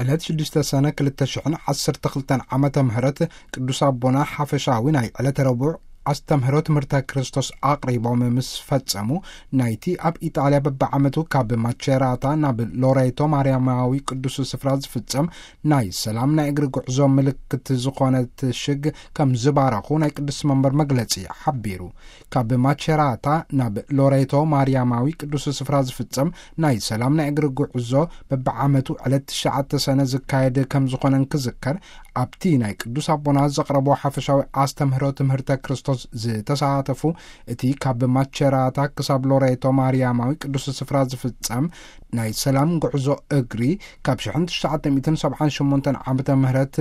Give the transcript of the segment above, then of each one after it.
ዕለት ሽዱሽተ ሰነ ክልተ ሽሕን ዓሰርተ ክልተን ዓመተ ምህረት ቅዱስ ኣቦና ሓፈሻዊ ናይ ዕለተ ረቡዕ ኣስተምህሮ ትምህርተ ክርስቶስ ኣቕሪቦም ምስ ፈጸሙ፣ ናይቲ ኣብ ኢጣልያ በብዓመቱ ካብ ማቸራታ ናብ ሎሬቶ ማርያማዊ ቅዱስ ስፍራ ዝፍጸም ናይ ሰላም ናይ እግሪ ጉዕዞ ምልክት ዝኾነት ሽግ ከም ዝባረኹ ናይ ቅዱስ መንበር መግለጺ ሓቢሩ። ካብ ማቸራታ ናብ ሎሬቶ ማርያማዊ ቅዱስ ስፍራ ዝፍጸም ናይ ሰላም ናይ እግሪ ጉዕዞ በብዓመቱ ዕለት ትሽዓተ ሰነ ዝካየድ ከም ዝኾነን ክዝከር፣ ኣብቲ ናይ ቅዱስ ኣቦና ዘቕረቦ ሓፈሻዊ ኣስተምህሮ ትምህርተ ክርስቶስ ዝተሳተፉ፣ እቲ ካብ ማቸራታ ክሳብ ሎሬቶ ማርያማዊ ቅዱስ ስፍራ ዝፍጸም ናይ ሰላም ጉዕዞ እግሪ፣ ካብ ሽሕን ትሽዓተ ሚእትን ሰብዓን ሸሞንተን ዓመተ ምህረት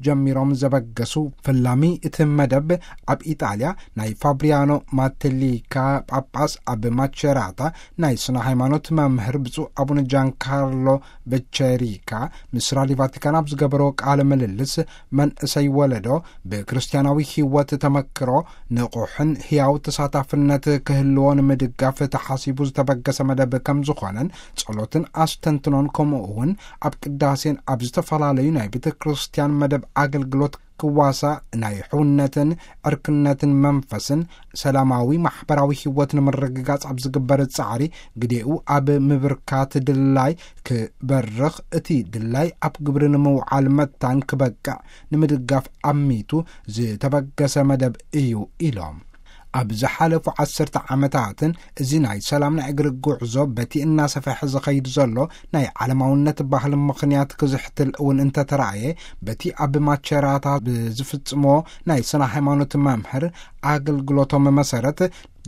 ጀሚሮም ዘበገሱ ፈላሚ እቲ መደብ፣ ኣብ ኢጣልያ ናይ ፋብሪያኖ ማቴሊካ ጳጳስ፣ ኣብ ማቸራታ ናይ ስነ ሃይማኖት መምህር ብፁዕ ኣቡነ ጃንካርሎ በቸሪካ ምስ ራድዮ ቫቲካን ኣብ ዝገበሮ ቃለ ምልልስ፣ መንእሰይ ወለዶ ብክርስቲያናዊ ህይወት ተመክሮ ንቑሕን ህያው ተሳታፍነት ክህልዎ ንምድጋፍ ተሓሲቡ ዝተበገሰ መደብ ከም ዝኾነን፣ ጸሎትን ኣስተንትኖን፣ ከምኡ እውን ኣብ ቅዳሴን ኣብ ዝተፈላለዩ ናይ ቤተ ክርስቲያን መደብ ኣገልግሎት ክዋሳእ፣ ናይ ሕውነትን ዕርክነትን መንፈስን ሰላማዊ ማሕበራዊ ህይወት ንምርግጋጽ ኣብ ዝግበር ጻዕሪ፣ ግዴኡ ኣብ ምብርካት ድላይ ክበርኽ፣ እቲ ድላይ ኣብ ግብሪ ንምውዓል መታን ክበቅዕ ንምድጋፍ ኣሚቱ ዝተበገሰ መደብ እዩ ኢሎም። ኣብ ዝሓለፉ ዓሰርተ ዓመታትን እዚ ናይ ሰላም ናይ እግሪ ጉዕዞ በቲ እናሰፍሐ ዝኸይድ ዘሎ ናይ ዓለማውነት ባህሊ ምኽንያት ክዝሕትል እውን እንተተራእየ፣ በቲ ኣብ ማቸራታ ብዝፍጽሞ ናይ ስነ ሃይማኖት መምህር ኣገልግሎቶም መሰረት፣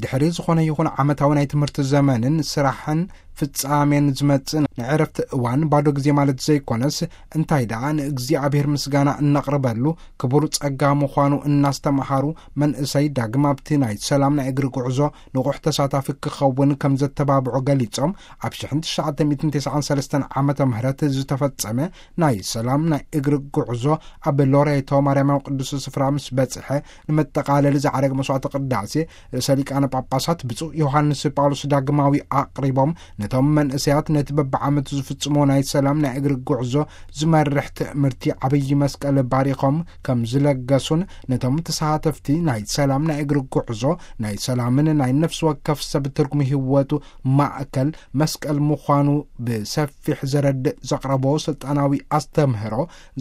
ድሕሪ ዝኾነ ይኹን ዓመታዊ ናይ ትምህርቲ ዘመንን ስራሕን ፍጻሜን ዝመጽእ ናይ ዕረፍቲ እዋን ባዶ ግዜ ማለት ዘይኮነስ፣ እንታይ ደኣ ንእግዚኣብሔር ምስጋና እነቕርበሉ ክቡር ጸጋ ምዃኑ እናስተምሃሩ፣ መንእሰይ ዳግም ኣብቲ ናይ ሰላም ናይ እግሪ ጉዕዞ ንቑሕ ተሳታፊ ክኸውን ከም ዘተባብዑ ገሊጾም፣ ኣብ ሽሕን ትሽዓተ ሚእትን ተስዓን ሰለስተን ዓመተ ምህረት ዝተፈጸመ ናይ ሰላም ናይ እግሪ ጉዕዞ ኣብ ሎሬቶ ማርያማዊ ቅዱስ ስፍራ ምስ በጽሐ፣ ንመጠቓለሊ ዝዓረገ መስዋዕተ ቅዳሴ ርእሰ ሊቃነ ጳጳሳት ብፁዕ ዮሃንስ ጳውሎስ ዳግማዊ ኣቕሪቦም፣ ነቶም መንእሰያት ነቲ በብዓመቱ ዝፍጽሞ ናይ ሰላም ናይ እግሪ ጉዕዞ ዝመርሕ ትእምርቲ ዓብዪ መስቀል ባሪኾም ከም ዝለገሱን፣ ነቶም ተሳተፍቲ ናይ ሰላም ናይ እግሪ ጉዕዞ ናይ ሰላምን ናይ ነፍሲ ወከፍ ሰብ ትርጉም ህይወቱ ማእከል መስቀል ምዃኑ ብሰፊሕ ዘረድእ ዘቕረቦ ስልጣናዊ ኣስተምህሮ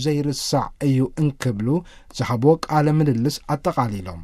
ዘይርሳዕ እዩ እንክብሉ ዝሃብዎ ቃለ ምልልስ ኣጠቓሊሎም።